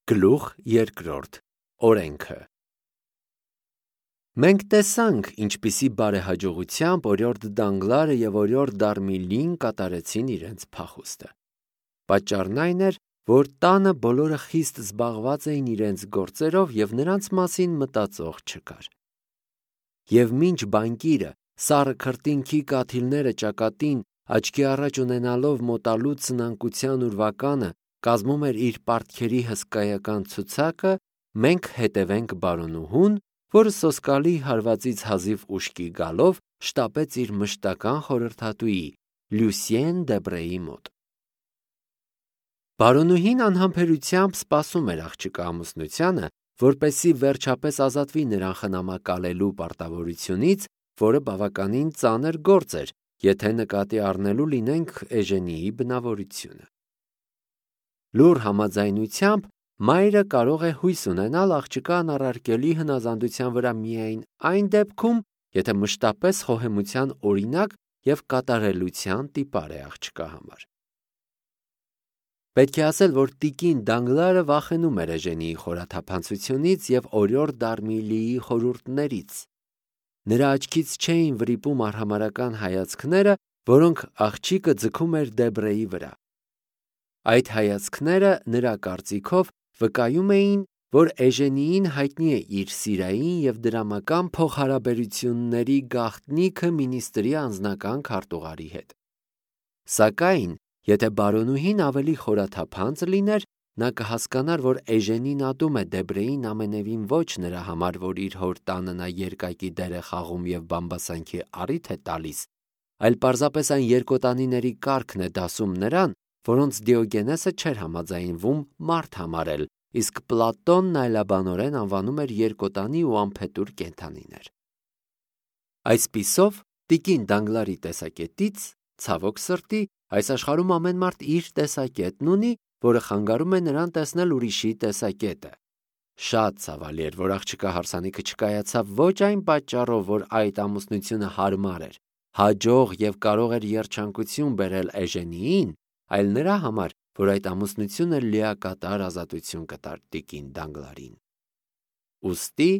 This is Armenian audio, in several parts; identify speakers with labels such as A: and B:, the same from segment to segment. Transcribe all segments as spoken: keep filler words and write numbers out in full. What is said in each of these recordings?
A: Գլուխ երկրորդ. Օրենքը։ Մենք տեսանք, ինչպիսի բարեհաջողությամբ օրիորդ Դանգլարը և օրիորդ Դարմիլին կատարեցին իրենց փախուստը։ Պատճառն այն էր, որ տանը բոլորը խիստ զբաղված էին իրենց գործերով և նրանց մասին մտածող չկար։ Եվ մինչ բանկիրը սառը քրտինքի կաթիլները ճակատին աչքի առաջ ունենալով մոտալու ծնանկության ուրվականը կազմում էր իր պարտքերի հսկայական ցուցակը, մենք հետևենք բարոնուհուն, որը սոսկալի հարվածից հազիվ ուշքի գալով շտապեց իր մշտական խորհրդատուի Լյուսիեն Դեբրեի մոտ։ Բարոնուհին անհամբերությամբ սպասում էր աղջկա ամուսնությանը, որպեսզի վերջապես ազատվի նրան խնամակալելու պարտավորությունից, որը բավականին ծանր գործ էր, եթե նկատի առնելու լինենք Էժենիի բնավորությունը։ Լուռ համաձայնությամբ մայրը կարող է հույս ունենալ աղջկա անառարկելի հնազանդության վրա միայն այն դեպքում, եթե մշտապես խոհեմության օրինակ և կատարելության տիպար է աղջկա համար։ Պետք է ասել, որ տիկին Դանգլարը վախենում էր Էժենիի խորաթափանցությունից և օրիորդ Դարմիլիի խորհուրդներից։ Նրա աչքից չէին վրիպում արհամարհական հայացքները, որոնք աղջիկը ձգում էր Դեբրեի վրա։ Այդ հայացքները, նրա կարծիքով, վկայում էին, որ Էժենիին հայտնի է իր սիրային և դրամական փոխհարաբերությունների գաղտնիքը մինիստրի անձնական քարտուղարի հետ։ Սակայն, եթե բարոնուհին ավելի խորաթափանց լիներ, նա կհասկանար, որ Էժենին ատում է Դեբրեին ամենևին ոչ նրա համար, որ իր հոր տանը նա երկակի դեր է խաղում և բամբասանքի առիթ է տալիս, այլ պարզապես այն երկոտանիների կարգն է դասում նրան, որոնց Դիոգենեսը չէր համաձայնվում մարդ համարել, իսկ Պլատոնն այլաբանորեն անվանում էր երկոտանի ու անփետուր կենդանիներ։ Այսպիսով, տիկին Դանգլարի տեսակետից, ցավոք սրտի, այս աշխարհում ամեն մարդ իր տեսակետն ունի, որը խանգարում է նրան տեսնել ուրիշի տեսակետը։ Շատ ցավալի էր, որ աղջկա հարսանիքը չկայացավ ոչ այն պատճառով, որ այդ ամուսնությունը հարմար էր, հաջող և կարող էր երջանկություն բերել Էժենիին, այլ նրա համար, որ այդ ամուսնությունը լիակատար ազատություն կտար տիկին Դանգլարին։ Ուստի,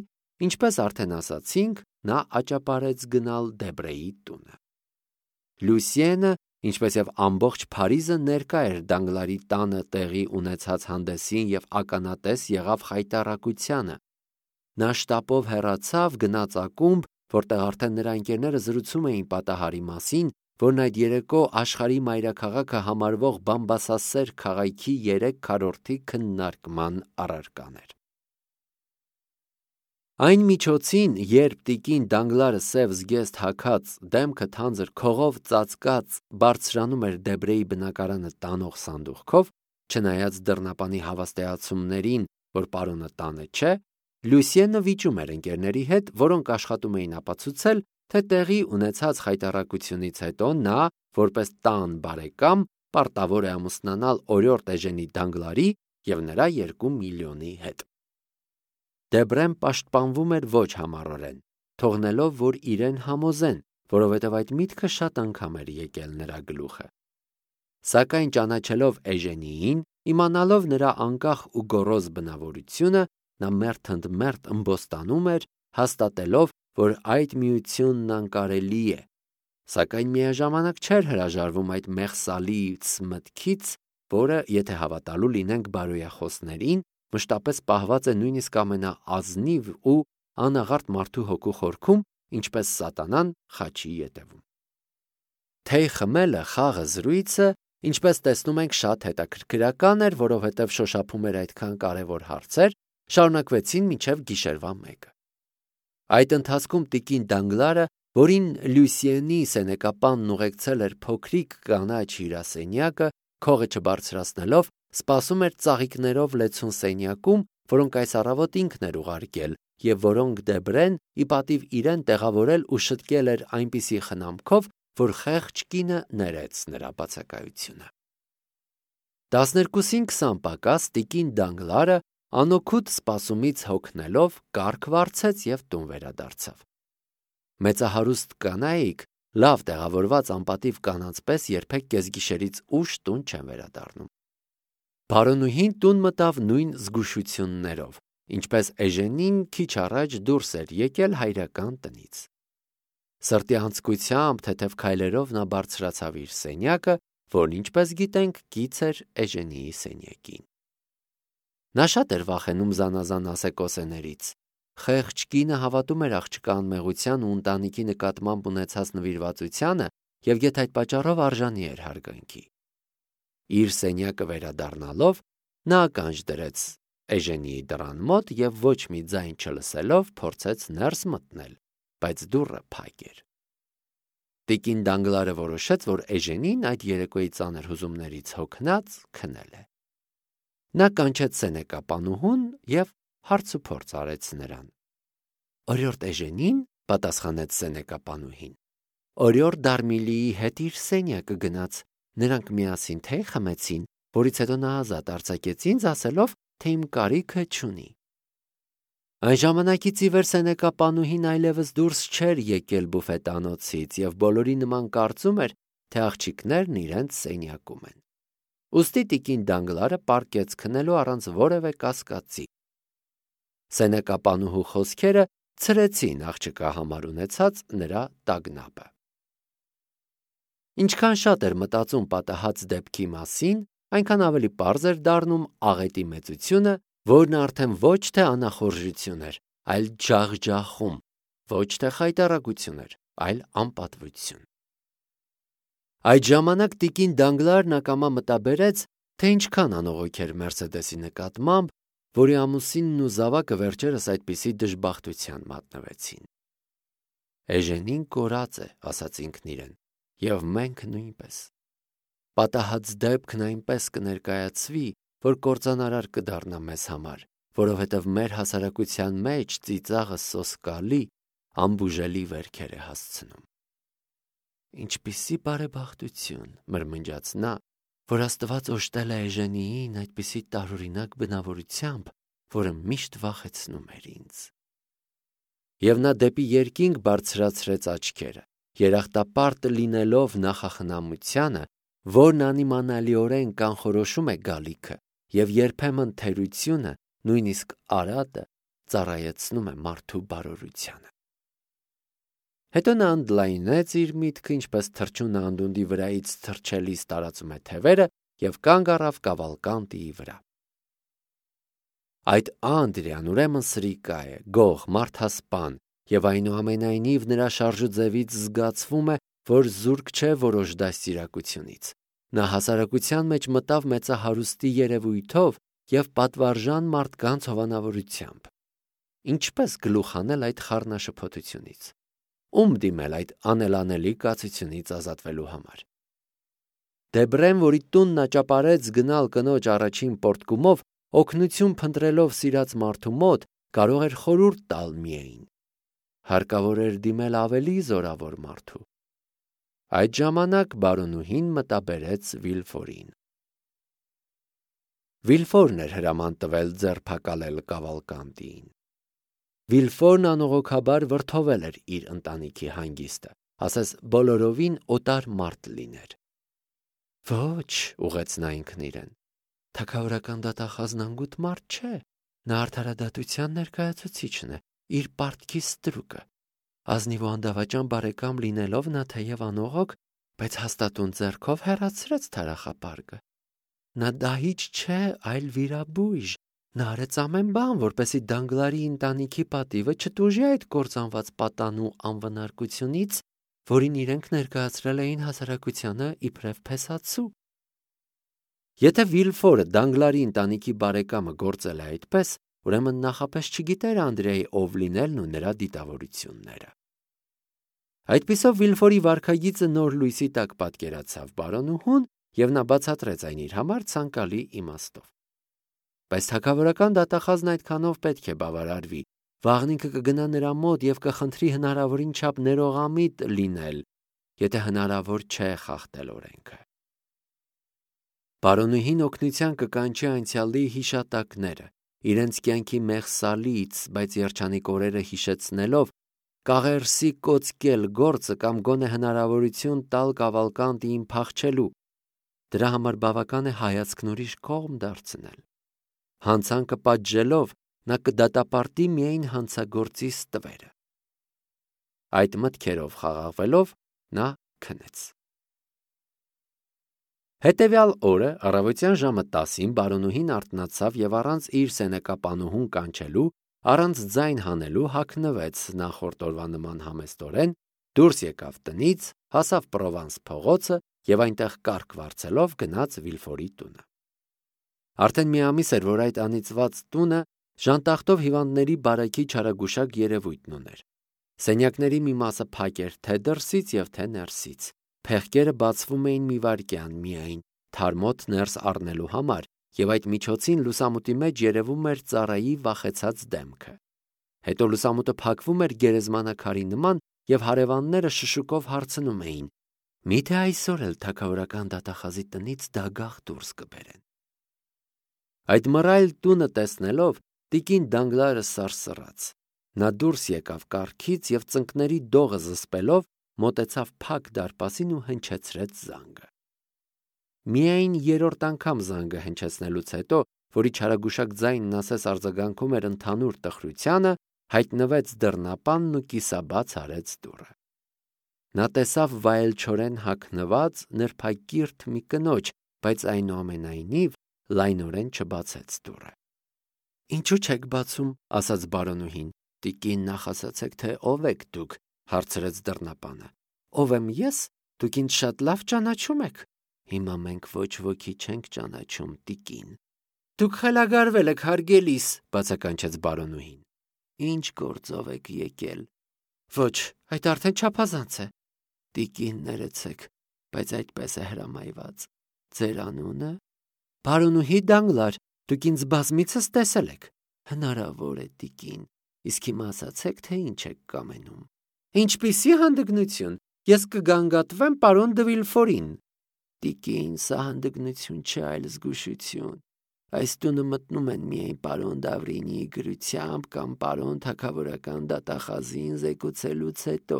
A: ինչպես արդեն ասացինք, նա աճապարեց գնալ Դեբրեի տունը։ Լյուսիենը, ինչպես և ամբողջ Փարիզը ներկա էր Դանգլարի տանը տեղի ունեցած հանդեսին և ականատես եղավ խայտառակությանը։ Նա շտապով հեռացավ, գնաց ակումբ, որտեղ արդեն նրա ընկերները զրուցում էին պատահարի մասին, որն այդ երեկո աշխարհի մայրաքաղաքը համարվող բամբասասեր քաղաքի երեք քառորդի քննարկման առարկան էր։ Այն միջոցին, երբ տիկին Դանգլարը սև զգեստ հագած, դեմքը թանձր քողով ծածկած բարձրանում էր Դեբրեի բնակարանը տանող սանդուղքով, չնայած դռնապանի հավաստիացումներին, որ պարոնը տանը չէ, Լյուսիենը վիճում էր ընկերների հետ, որոնք աշխատում էին ապացուցել, թե տեղի ունեցած խայտառակությունից հետո նա, որպես տան բարեկամ, պարտավոր է ամուսնանալ օրիորդ Էժենի Դանգլարի և նրա երկու միլիոնի հետ։ Դեբրեն պաշտպանվում էր ոչ համառորեն, թողնելով, որ իրեն համոզեն, որովհետև այդ միտքը շատ անգամ էր եկել նրա գլուխը։ Սակայն ճանաչելով Էժենիին, իմանալով նրա անկախ ու գոռոզ բնավորությունը, նա մերթ ընդ մերթ ըմբոստանում էր, հաստատելով, որ այդ միությունն անկարելի է, սակայն միաժամանակ չէր հրաժարվում այդ մեղսալից մտքից, որը, եթե հավատալու լինենք բարոյախոսներին, մշտապես պահված է նույնիսկ ամենաազնիվ ու անաղարտ մարդու հոգու խորքում, ինչպես սատանան խաչի ետևում։ Թեյ խմելը, խաղը, զրույցը, ինչպես տեսնում ենք, շատ հետաքրքրական էր, որովհետև շոշափում էր այդքան կարևոր հարցեր, շարունակվեցին մինչև գիշերվա մեկը։ Այդ ընթացքում տիկին Դանգլարը, որին Լյուսիենի սենեկապանն ուղեկցել էր փոքրիկ կանաչ հյուրասենյակը, քողը չբարձրացնելով, սպասում էր ծաղիկներով լեցուն սենյակում, որոնք այս առավոտ ինքն էր ուղարկել և որոնք Դեբրեն ի պատիվ իրեն տեղավորել ու շտկել էր այնպիսի խնամքով, որ խեղճ կինը ներեց նրա բացակայությունը։ Տասներկուսին քսան պակաս տիկին Դանգլարը անօգուտ սպասումից հոգնելով կառք վարձեց և տուն վերադարձավ։ Մեծահարուստ կանայք, լավ տեղավորված անպատիվ կանանց պես երբեք կեսգիշերից ուշ տուն չեն վերադառնում։ Բարոնուհին տուն մտավ նույն զգուշություններով, ինչպես Էժենին քիչ առաջ դուրս էր եկել հայրական տնից։ Սրտի անձկությամբ թեթև քայլերով նա բարձրացավ իր սենյակը, որն ինչպես գիտենք կից էր Էժենիի սենյակին։ Նա շատ էր վախենում զանազան ասեկոսեներից։ Խեղճ կինը հավատում էր աղջկա անմեղության ու ընտանիքի նկատմամբ ունեցած նվիրվածությանը և եթե այդ պատճառով արժանի էր հարգանքի։ Իր սենյակը վերադառնալով նա ականջ դրեց Էժենիի դռան մոտ և ոչ մի ձայն չլսելով փորձեց ներս մտնել, բայց դուռը փակ էր։ Տիկին Դանգլարը որոշեց, որ Էժենին այդ երեկոյի ծանր հուզումներից հոգնած քնել է։ Նա կանչեց սենեկապանուհուն և հարցուփորձ արեց նրան։ Օրիորդ Էժենին, պատասխանեց սենեկապանուհին, օրիորդ Դարմիլիի հետ իր սենյակը գնաց, նրանք միասին թեյ խմեցին, որից հետո նա ազատ արձակեց ինձ, ասելով, թե իմ կարիքը չունի։ Այն ժամանակից ի վեր սենեկապանուհին այլևս դուրս չէր եկել բուֆետանոցից և բոլորի նման կարծում էր, թե աղջիկներն իրենց սենյակում են։ Ուստի տիկին Դանգլարը պառկեց քնելու առանց որևէ կասկածի։ Սենեկապանուհու խոսքերը ցրեցին աղջկա համար ունեցած նրա տագնապը։ Ինչքան շատ էր մտածում պատահած դեպքի մասին, այնքան ավելի պարզ էր դառնում աղետի մեծությունը, որն արդեն ոչ թե անախորժություն էր, այլ ջախջախում, ոչ թե խայտառակություն էր, այլ անպատվություն։ Այդ ժամանակ տիկին Դանգլարն ակամա մտաբերեց, թե ինչքան անողոք էր Մերսեդեսի նկատմամբ, որի ամուսինն ու զավակը վերջերս այդպիսի դժբախտության մատնվեցին։ Էժենին կորած է, ասաց ինքն իրեն, և մենք նույնպես։ Պատահած դեպքն այնպես կներկայացվի, որ կործանարար կդառնա մեզ համար, որովհետև մեր հասարակության մեջ ծիծաղը սոսկալի, անբուժելի վերքեր է հասցնում։ Ինչպիսի բարեբախտություն, մրմնջաց նա, որ Աստված օժտել է Էժենիին այդպիսի տարօրինակ բնավորությամբ, որը միշտ վախեցնում էր ինձ։ Եվ նա դեպի երկինք բարձրացրեց աչքերը, երախտապարտ լինելով նախախնամությանը, որն անիմանալիորեն կանխորոշում է գալիքը, և երբեմն թերությունը, նույնիսկ արատը, ծառայեցնում է մարդու բարօրությանը։ Հետո նա ընդլայնեց իր միտքը, ինչպես թռչունը անդունդի վրայից թռչելիս տարածում է թևերը և կանգ առավ կավալկանդիի վրա։ Այդ Անդրիան ուրեմն սրիկա է, գող, մարդասպան, և այնուամենայնիվ նրա շարժուձևից զգացվում է, որ զուրկ չէ որոշ դաստիարակությունից։ Նա հասարակության մեջ մտավ մեծահարուստի երևույթով և պատվարժան մարդկանց հովանավորությամբ։ Ինչպես գլուխ հանել այդ խառնաշփոթությունից։ Ում դիմել այդ անելանելի կացությունից ազատվելու համար։ Դեբրեն, որի տուն նա ճապարեց գնալ կնոջ առաջին պոռթկումով, օգնություն փնտրելով սիրած մարդու մոտ, կարող էր խորհուրդ տալ միայն։ Հարկավոր էր դիմել ավելի զորավոր մարդու։ Այդ ժամանակ բարոնուհին մտաբերեց Վիլֆորին։ Վիլֆորն էր հրաման տվել ձերբակալել Կավալկանդիին։ Վիլֆորն անողոքաբար վրդովել էր իր ընտանիքի հանգիստը, ասես բոլորովին օտար մարդ լիներ։ Ոչ, ուղեց նա ինքն իրեն, թագավորական դատախազն անգութ մարդ չէ, նա արդարադատության ներկայացուցիչն է, իր պարտքի ստրուկը։ Ազնիվ ու անդավաճան բարեկամ լինելով նա թեև անողոք, բայց հաստատուն ձեռքով հեռացրեց թարախապարգը։ Նա դահիճ չէ, այլ վիրաբույժ։ Նա արեց ամեն բան, որպեսզի Դանգլարի ընտանիքի պատիվը չտուժի այդ կործանված պատանու անվնարկությունից, որին իրենք ներկայացրել էին հասարակությանը իբրև փեսացու։ Եթե Վիլֆորը Դանգլարի ընտանիքի բարեկամը գործել է այդպես, ուրեմն նախապես չգիտեր Անդրեայի ով լինելն ու նրա դիտավորությունները։ Այդպիսով Վիլֆորի վարքագիծը նոր լույսի տակ պատկերացավ բարոնուհուն, և նա բացատրեց այն իր համար ցանկալի իմաստով։ Բայց թագավորական դատախազն այդքանով պետք է բավարարվի, վաղն ինքը կգնա նրա մոտ և կխնդրի հնարավորին չափ ներողամիտ լինել, եթե հնարավոր չէ խախտել օրենքը։ Բարոնուհին օգնության կկանչի անցյալի հիշատակները, իրենց կյանքի մեղսալից, բայց երջանիկ օրերը հիշեցնելով, կաղերսի կոծկել գործը կամ գոնե հնարավորություն տալ Կավալկանդիին փախչելու, դրա համար բավական է հայացքն ուրիշ կողմ դարձնել։ Հանցանքը պատժելով նա կդատապարտի միայն հանցագործի ստվերը։ Այդ մտքերով խաղաղվելով նա քնեց։ Հետևյալ օրը առավոտյան ժամը տասին բարոնուհին արթնացավ եւ առանց իր սենեկապանուհուն կանչելու, առանց ձայն հանելու հագնվեց նախորդ օրվա նման համեստորեն, դուրս եկավ տնից, հասավ Պրովանս փողոցը եւ այնտեղ կառք վարձելով գնաց Վիլֆորի տունը։ Արդեն մի ամիս էր, որ այդ անիծված տունը ժանտախտով հիվանդների բարեքի չարագուշակ երևույթն ուներ։ Սենյակների մի մասը փակ էր թե դրսից եւ թե ներսից։ Փեղկերը բացվում էին մի վայրկյան միայն թարմոտ ներս առնելու համար, եւ այդ միջոցին լուսամուտի մեջ երևում էր ծառայի վախեցած դեմքը։ Հետո լուսամուտը փակվում էր գերեզմանակարի նման, եւ հարևանները շշուկով հարցնում էին. «Միթե այսօր էլ թագավորական դատախազի տնից դագաղ դուրս կբերեն»։ Այդ մռայլ տունը տեսնելով տիկին Դանգլարը սարսռաց։ Նա դուրս եկավ կառքից եւ ծնկների դողը զսպելով մոտեցավ փակ դարպասին ու հնչեցրեց զանգը։ Միայն երրորդ անգամ զանգը հնչեցնելուց հետո, որի չարագուշակ ձայնն ասես արձագանքում էր ընդհանուր տխրությանը, հայտնվեց դռնապանն ու կիսաբաց արեց դուռը։ Նա տեսավ վայելչորեն հագնված նրբակիրթ մի կնոջ, բայց այնուամենայնիվ լայնորեն չբացեց դուռը։ «Ինչու չեք բացում», ասաց բարոնուհին։ «Տիկին, նախ ասացեք, թե ով եք դուք», հարցրեց դռնապանը։ «Ով եմ ես, դուք ինձ շատ լավ ճանաչում եք»։ «Հիմա մենք ոչ ոքի չենք ճանաչում, տիկին»։ «Դուք խելագարվել եք, հարգելիս», բացականչեց բարոնուհին։ «Ինչ գործով եք եկել»։ «Ոչ, այդ արդեն չափազանց է»։ «Տիկին, ներեցեք, բայց այդպես է հրամայված»։ «Ձեր անունը»։ «Բարոնուհի Դանգլար, դուք ինձ բազմիցս տեսել եք»։ «Հնարավոր է, տիկին, իսկ հիմա ասացեք, թե ինչ եք կամենում»։ «Ինչպիսի հանդգնություն, ես կգանգատվեմ պարոն դը Վիլֆորին»։ «Տիկին, սա հանդգնություն չէ, այլ զգուշություն։ Այս տունը մտնում են միայն պարոն Դավրինիի գրությամբ կամ պարոն թագավորական դատախազին զեկուցելուց հետո»։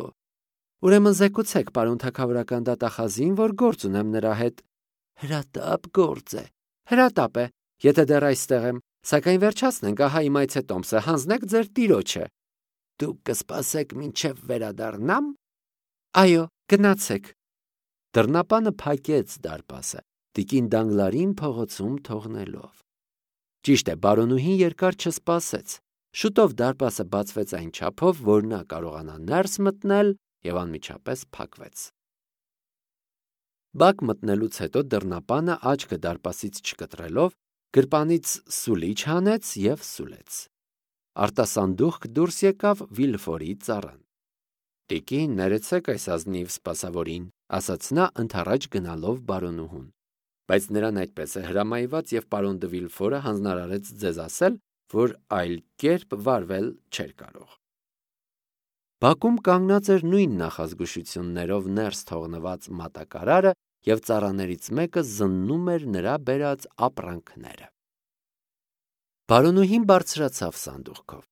A: «Ուրեմն զեկուցեք պարոն թագավորական դատախազին, որ գործ ունեմ նրա հետ»։ «Հրատապ գործ է»։ «Հրատապ է, եթե դեռ այստեղ եմ, սակայն վերջացնենք, ահա իմ այցետոմսը, հանձնեք ձեր տիրոջը»։ «Դուք կսպասեք մինչև վերադառնամ»։ «Այո, գնացեք»։ Դռնապանը փակեց դարպասը, տիկին Դանգլարին փողոցում թողնելով։ Ճիշտ է, բարոնուհին երկար չսպասեց։ Շուտով դարպասը բացվեց այն չափով, որ նա կարողանա ներս մտնել եւ անմիջապես փակվեց։ Բակ մտնելուց հետո դռնապանը աչքը դարպասից չկտրելով գրպանից սուլիչ հանեց եւ սուլեց։ Արտասանդուխք դուրս եկավ Վիլֆորի ծառան։ «Տիկին, ներեցեք այս ազնիվ սպասավորին», ասաց նա ընդառաջ գնալով բարոնուհուն։ «Բայց նրան այդպես է հրամայված եւ պարոն դը Վիլֆորը հանձնարարեց ձեզ ասել, որ այլ կերպ վարվել չէր կարող»։ Բակում կանգնած էր նույն նախազգուշություններով ներս թողնված մատակարարը եւ ծառաներից մեկը զննում էր նրա բերած ապրանքները։ Բարոնուհին բարձրացավ սանդուղքով։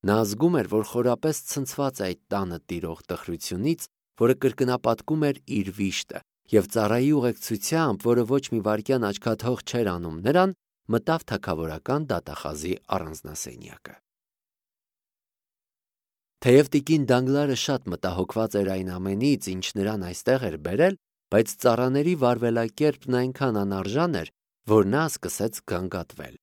A: Նա զգում էր, որ խորապես ցնցված է այդ տանը տիրող տխրությունից, որը կրկնապատկում էր իր վիշտը, եւ ծառայի ուղեկցությամբ, որը ոչ մի վայրկյան աչքաթող չէր անում նրան, մտավ թագավորական դատախազի առանձնասենյակը։ Թեև տիկին Դանգլարը շատ մտահոգված էր այն ամենից, ինչ նրան այստեղ էր բերել, բայց ծառաների վարվելակերպն այնքան անարժան էր, որ նա սկսեց գանգատվել։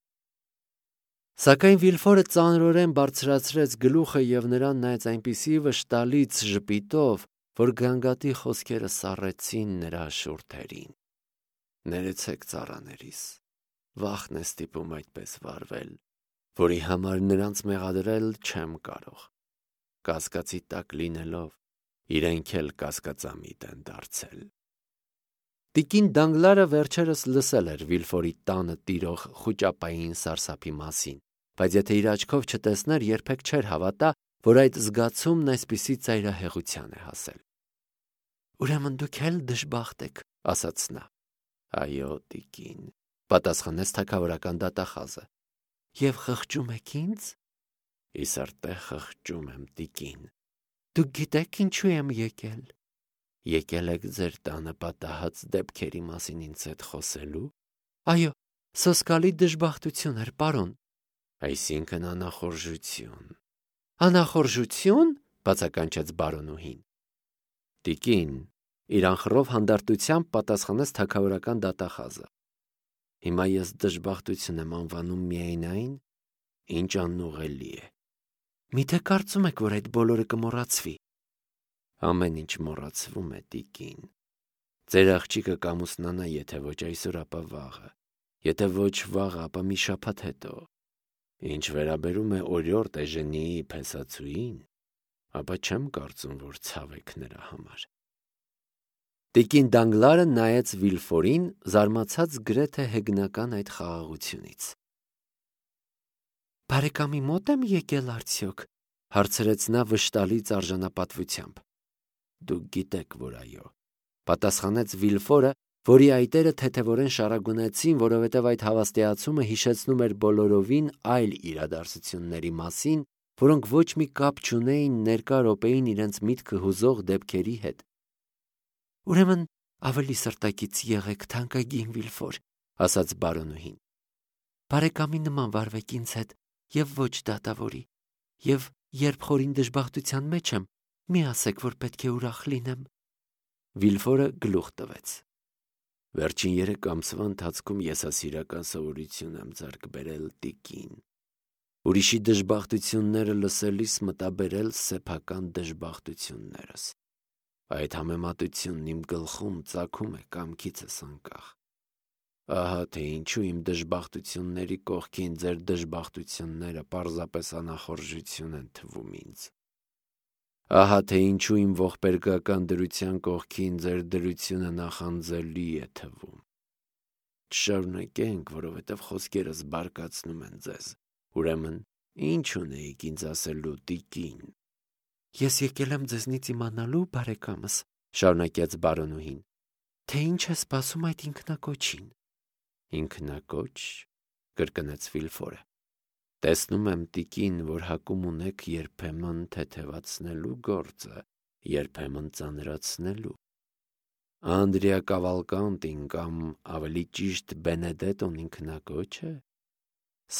A: Սակայն Վիլֆորը ծանրորեն բարձրացրեց գլուխը եւ նրան նայեց այնպիսի վշտալից ժպիտով, որ գանգատի խոսքերը սառեցին նրա շուրթերին։ «Ներեցեք, ծառաներիս, վախն է ստիպում այդպես վարվել, որի համար նրանց մեղադրել չեմ կարող։ Կասկածի տակ լինելով, իրենք էլ կասկածամիտ են դարձել»։ Տիկին Դանգլարը վերջերս լսել էր Վիլֆորի տանը տիրող խուճապային սարսափի մասին, բայց եթե իր աչքով չտեսներ, երբեք չէր հավատա, որ այդ զգացումն այսպիսի ծայրահեղության է հասել։ «Ուրեմն դուք էլ դժբախտ եք», ասաց նա։ «Այո, տիկին», պատասխանեց թագավորական դատախազը։ «Եվ խղճում եք ինձ»։ «Իսրտե խղճում եմ, տիկին»։ «Դուք գիտեք ինչու եմ եկել»։ Եկել եք ձեր տանը պատահած դեպքերի մասին ինձ հետ խոսելու։ Այո, սոսկալի դժբախտություն էր, պարոն։ Այսինքն անախորժություն։ Անախորժություն, բացականչեց բարոնուհին։ Տիկին, իր անխռով հանդարտությամբ պատասխանեց թագավորական դատախազը։ Հիմա ես դժբախտություն եմ անվանում միայն այն, ինչ անուղելի է։ Միթե կարծում եք, որ այդ բոլորը կմոռացվի։ Ամեն ինչ մոռացվում է, տիկին։ Ձեր աղջիկը կամուսնանա, եթե ոչ այսօր, ապա վաղը, եթե ոչ վաղը, ապա մի շաբաթ հետո։ Ինչ վերաբերում է օրիորդ Էժենիի փեսացուին, ապա չեմ կարծում, որ ցավ եք նրա համար։ Տիկին Դանգլարը նայեց Վիլֆորին, զարմացած գրեթե հեգնական այդ խաղաղությունից։ Բարեկամի մոտ եմ եկել արդյոք, հարցրեց նա վշտալից արժանապատվությամբ։ Դուք գիտեք, որ այո, պատասխանեց Վիլֆորը, որի այտերը թեթևորեն շարագունեցին, որովհետև այդ հավաստիացումը հիշեցնում էր բոլորովին այլ իրադարձությունների մասին, որոնք ոչ մի կապ չունեին ներկա րոպեին իրենց միտքը հուզող դեպքերի հետ։ Ուրեմն ավելի սրտակից եղեք, թանկագին Վիլֆոր, ասաց բարոնուհին։ Բարեկամի նման վարվեք ինձ հետ եւ ոչ դատավորի, եւ երբ խորին դժբախտության մեջ եմ, մի ասեք, որ պետք է ուրախ լինեմ։ Վիլֆորը գլուխ տվեց։ Վերջին երեք ամսվա ընթացքում եսասիրական սովորություն եմ ձեռք բերել, տիկին։ Ուրիշի դժբախտությունները լսելիս մտաբերել սեփական դժբախտություններս։ Այդ համեմատությունն իմ գլխում ծագում է կամքիցս անկախ։ Ահա թե ինչու իմ դժբախտությունների կողքին ձեր դժբախտությունները պարզապես անախորժություն են թվում ինձ։ Ահա թե ինչու իմ ողբերգական դրության կողքին ձեր դրությունը նախանձելի է թվում։ Չշարունակենք, որովհետև խոսքերս բարկացնում են ձեզ։ Ուրեմն, ինչ ունեիք ինձ ասելու, տիկին։ Ես եկել եմ ձեզնից իմանալու, բարեկամս, շարունակեց բարոնուհին, թե ինչ է սպասում այդ ինքնակոչին։ Ինքնակոչ, կրկնեց Վիլֆորը։ Տեսնում եմ, տիկին, որ հակում ունեք երբեմն թեթևացնելու գործը, երբեմն ծանրացնելու։ Անդրեա Կավալկանտին կամ ավելի ճիշտ Բենեդետոն ինքնակոչ է։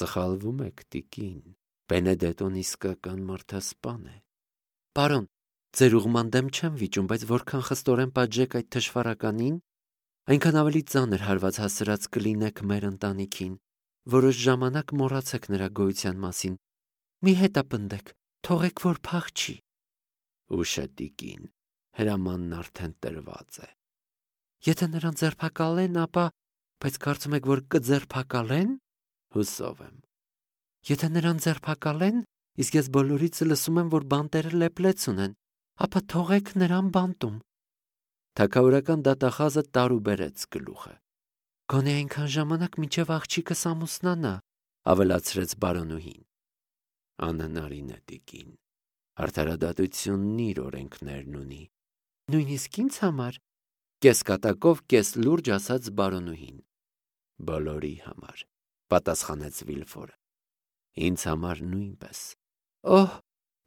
A: Սխալվում եք, տիկին, Բենեդետոն իսկական մարդասպան է։ Պարոն, ձեր ուղման դեմ չեմ վիճում, բայց որքան խստորեն պատժեք այդ թշվառականին, այնքան ավելի ծանր հարված հասցրած կլինեք մեր ընտանիքին, որոշ ժամանակ մոռացեք նրա գոյության մասին։ Մի հետապնդեք, թողեք, որ փախչի։ Ուշ է, տիկին, հրամանն արդեն տրված է։ Եթե նրան ձերբակալեն, ապա, բայց կարծում եք, որ կձերբակալեն։ Հուսով եմ։ Եթե նրան ձերբակալեն, իսկ ես բոլորից լսում եմ, որ բանտերը լեփլեց ունեն, ապա թողեք նրան բանտում։ Թագավորական դատախազը տարուբերեց գլուխը։ Գոնե այնքան ժամանակ մինչև աղջիկս ամուսնանա, ավելացրեց բարոնուհին։ Անհնարին է, տիկին։ Արդարադատությունն իր օրենքներն ունի։ Նույնիսկ ինձ համար, կեսկատակով կես լուրջ ասաց բարոնուհին։ Բոլորի համար, պատասխանեց Վիլֆորը։ Ինձ համար նույնպես։ Օհ,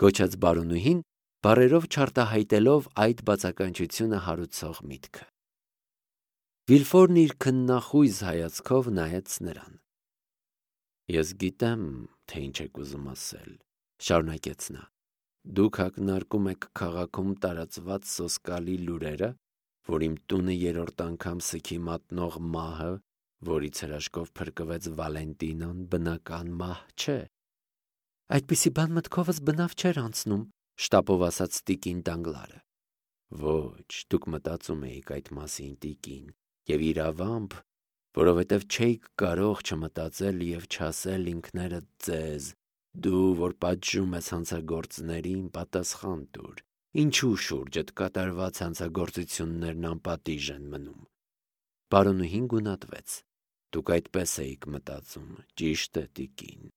A: գոչաց բարոնուհին, բառերով չարտահայտելով այդ բացականչությունը հարուցող միտքը։ Վիլֆորն իր քննախույզ հայացքով նայեց նրան։ Ես գիտեմ, թե ինչ եք ուզում ասել, շարունակեց նա։ Դուք ակնարկում եք քաղաքում տարածված սոսկալի լուրերը, որ իմ տունը երրորդ անգամ սքի մատնող մահը, որից հրաշքով փրկվեց Վալենտինան, բնական մահ չէ։ Այդպիսի բան մտքովս բնավ չէր անցնում, շտապով ասաց տիկին Դանգլարը։ Ոչ, դուք մտածում էիք այդ մասին, տիկին, եւ իրավամբ, որովհետև չէիք կարող չմտածել եւ չասել ինքներդ ձեզ, դու, որ պատժում ես հանցագործներին, պատասխան տուր, ինչու շուրջդ կատարված հանցագործություններն անպատիժ են մնում։ Բարոնուհին գունատվեց։ Դուք այդպես էիք մտածում, ճիշտ է, տիկին։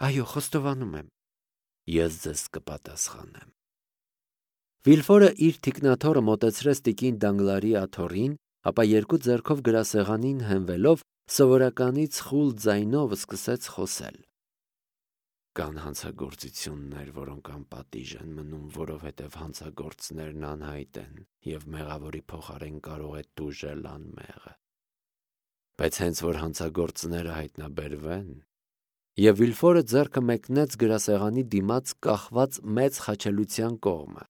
A: Այո, խոստովանում եմ։ Ես ձեզ կպատասխանեմ։ Վիլֆորը իր թիկնաթոռը մոտեցրեց տիկին Դանգլարի աթոռին, ապա երկու ձեռքով գրասեղանին հենվելով սովորականից խուլ ձայնով սկսեց խոսել։ Կան հանցագործություններ, որոնք անպատիժ են մնում, որովհետև հանցագործներն անհայտ են և մեղավորի փոխարեն կարող է տուժել անմեղը։ Բայց հենց որ հանցագործները հայտնաբերվեն, և Վիլֆորը ձեռքը մեկնեց գրասեղանի դիմաց կախված մեծ խաչելության կողմը,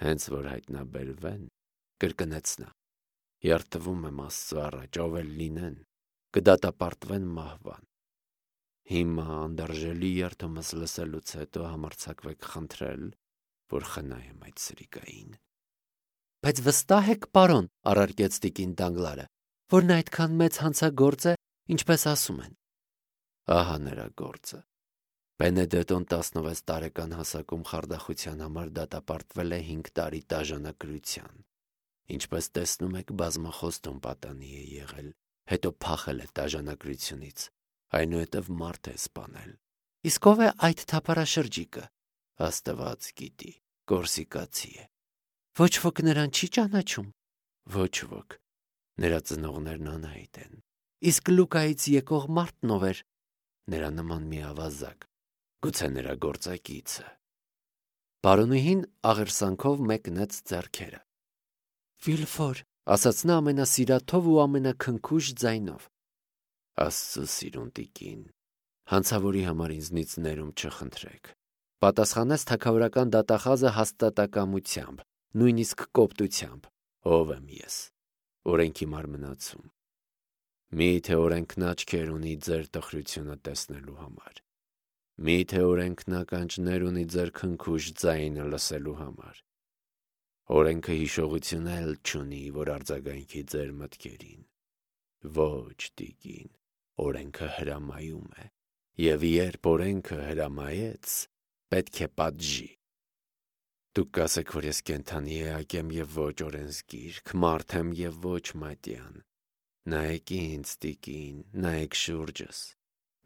A: հենց որ հայտնաբերվեն, կրկնեց նա, երդվում եմ Աստծո առաջ, ով էլ լինեն, կդատապարտվեն մահվան։ Հիմա անդարժելի երդումս լսելուց հետո համարձակվեք խնդրել, որ խնայեմ այդ սրիկային։ Բայց վստահ եք, պարոն, առարկեց տիկին Դանգլարը, որ նա այդքան մեծ հանցագործ է, ինչպես ասում են։ Ահա նրա գործը։ Բենեդետոն տասնվեց տարեկան հասակում խարդախության համար դատապարտվել է հինգ տարի տաժանակրության։ Ինչպես տեսնում եք, բազմախոստում պատանի է եղել, հետո փախել է տաժանակրությունից, այնուհետև մարդ է սպանել։ Իսկ ով է այդ թափառաշրջիկը։ Աստված գիտի, կորսիկացի է։ Ոչ ոք նրան չի ճանաչում։ Ոչ ոք։ Նրա ծնողներն անհայտ են։ Իսկ Լուկայից եկող մարդն ով էր։ Նրա նման մի ավազակ, գուցե նրա գործակիցը։ Պարոնուհին աղերսանքով մեկնեց ձեռքերը։ Վիլֆոր, ասաց նա ամենասիրաթով ու ամենաքնքուշ ձայնով։ Աստծո սիրուն տիկին, հանցավորի համար ինձնից ներում չխնդրեք, պատասխանեց թագավորական դատախազը հաստատակամությամբ, նույնիսկ կոպտությամբ, ով եմ ես, օրենքի մարմնացում։ Մի՞թե օրենքն աչքեր ունի ձեր տխրությունը տեսնելու համար, մի՞թե օրենքն ականջներ ունի ձեր քնքուշ ձայնը լսելու համար։ Օրենքը հիշողություն էլ չունի, որ արձագանքի ձեր մտքերին։ Ոչ, տիկին, օրենքը հրամայում է, և երբ օրենքը հրամայեց, պետք է պատժի։ Դուք կասեք, որ ես կենդանի էակ եմ և ոչ օրենսգիրք, մարդ եմ և ոչ մատյան։ Նայեք ինձ, տիկին, նայեք շուրջս։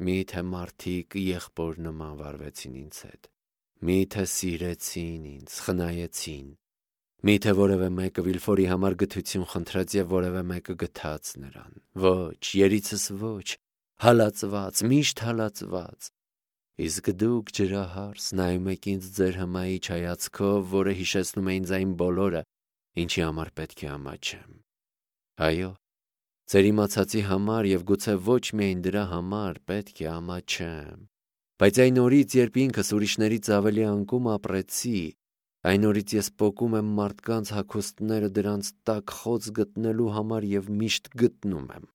A: Մի՞թե մարդիկ եղբոր նման վարվեցին ինձ հետ։ Մի՞թե սիրեցին ինձ, խնայեցին։ Մի՞թե որևէ մեկը Վիլֆորի համար գթություն խնդրեց և որևէ մեկը գթաց նրան։ Ոչ, երիցս ոչ, հալածված, միշտ հալածված։ Իսկ դուք ջրահարս նայում եք ինձ ձեր հմայիչ հայացքով, որը հիշեցնում է ինձ այն բոլորը, ինչի համար պետք է ամաչեմ։ Այո, ձեր իմացածի համար և գուցե ոչ միայն դրա համար պետք է ամաչեմ։ Բայց այն օրից, երբ ինքս ուրիշներից ավելի անկում ապրեցի, այն օրից ես պոկում եմ մարդկանց հագուստները դրանց տակ խոց գտնելու համար և միշտ գտնում եմ։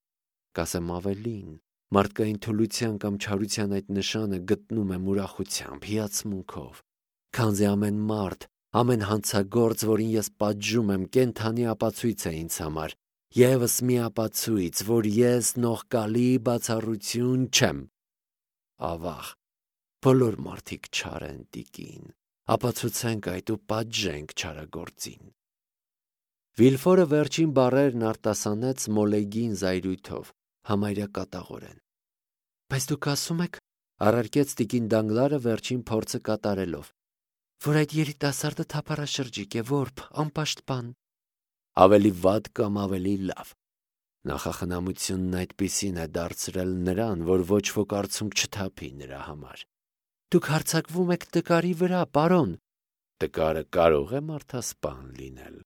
A: Կասեմ ավելին, մարդկային թուլության կամ չարության այդ նշանը գտնում եմ ուրախությամբ, հիացմունքով, քանզի ամեն մարդ, ամեն հանցագործ, որին ես պատժում եմ, կենդանի ապացույց է ինձ համար, ևս մի ապացույց, որ ես նողկալի բացառություն չեմ։ Ավաղ, բոլոր մարդիկ չար են, տիկին, ապացուցենք այդ ու պատժենք չարագործին։ Վիլֆորը վերջին բառերն արտասանեց մոլեգին զայրույթով, համարյա կատաղորեն։ Բայց դուք ասում եք, առարկեց տիկին Դանգլարը վերջին փորձը կատարելով, որ այդ երիտասարդը թափառաշրջիկ է, որբ, անպաշտպան։ Ավելի վատ կամ ավելի լավ։ Նախախնամությունն այդպիսին է դարձրել նրան, որ ոչ ոք արցունք չթափի նրա համար։ Դուք հարձակվում եք տկարի վրա, պարոն։ Տկարը կարող է մարդասպան լինել։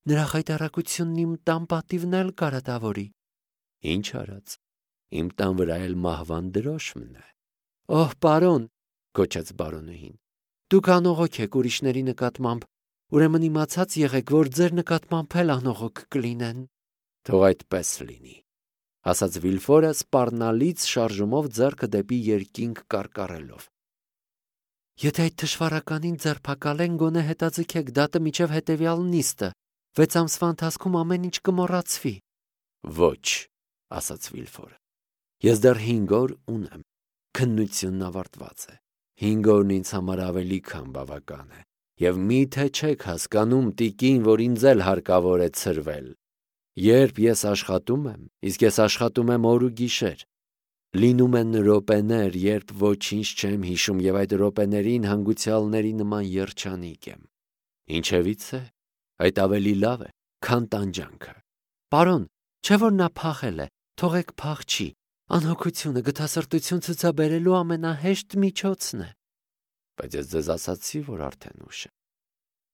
A: Նրա խայտառակությունն իմ տան պատիվն էլ կարատավորի։ Ինչ արած, իմ տան վրա էլ մահվան դրոշմն է։ Օհ, պարոն, գոչեց բարոնուհին, դուք անողոք եք ուրիշների նկատմամբ, ուրեմն իմացած եղեք, որ ձեր նկատմամբ էլ անողոք կլինեն։ Թող այդպես լինի, ասաց Վիլֆորը սպառնալից շարժումով ձեռքը դեպի երկինք կարկառելով։ Եթե այդ թշվառականին ձերբակալեն, գոնե հետաձգեք դատը մինչև հետևյալ նիստը, վեց ամսվա ընթացքում ամեն ինչ կմոռացվի։ Ոչ, ասաց Վիլֆորը, ես դեռ հինգ օր ունեմ, քննությունն ավարտված է, հինգ օրն ինձ համար ավելի քան բավական է, և մի՞թե չեք հասկանում, տիկին, որ ինձ էլ հարկավոր է ցրվել։ Երբ ես աշխատում եմ, իսկ ես աշխատում եմ օր ու գիշեր, լինում են րոպեներ, երբ ոչինչ չեմ հիշում և այդ րոպեներին հանգուցյալների նման երջանիկ եմ։ Ինչևից է, այդ ավելի լավ է, քան տանջանքը։ Պարոն, չէ՞ որ նա փախել է, թողեք փախչի, Անհոգությունը գթասրտություն ցուցաբերելու ամենահեշտ միջոցն է։ Բայց ես ձեզ ասացի, որ արդեն ուշ է։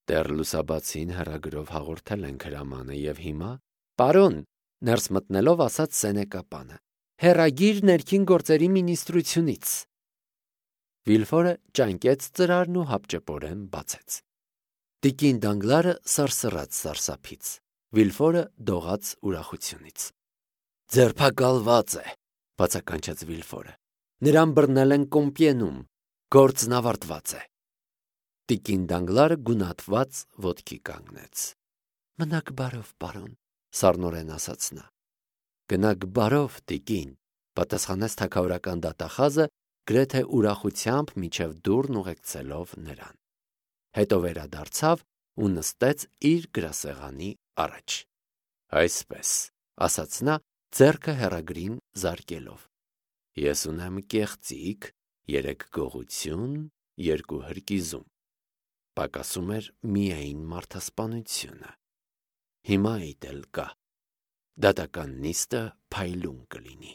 A: Դեռ լուսաբացին հեռագրով հաղորդել ենք հրամանը եւ հիմա, պարոն, ներս մտնելով ասաց Սենեկապանը, հեռագիր ներքին գործերի մինիստրությունից։ Վիլֆորը ճանկեց ծրարն ու հապճեպորեն բացեց։ Տիկին Դանգլարը սարսռաց սարսափից, Վիլֆորը դողաց ուրախությունից։ Ձերբակալված է, բացականչեց Վիլֆորը։ Նրան բռնել են Կոմպիենում, գործն ավարտված է։ Տիկին Դանգլարը գունատված ոտքի կանգնեց։ Մնաք բարով, պարոն, սառնորեն ասաց նա։ Գնաք բարով, տիկին, պատասխանեց թագավորական դատախազը, գրեթե ուրախությամբ միջև դուռն ուղեկցելով նրան։ Հետո վերադարձավ ու նստեց իր գրասեղանի առաջ։ Այսպես, ասաց նա, ձեռքը հեռագրին զարկելով։ Ես ունեմ կեղծիք, երեք գողություն, երկու հրկիզում։ Պակասում էր միայն մարդասպանությունը։ Հիմա իտ էլ կա։ Դատական նիստը փայլուն կլինի։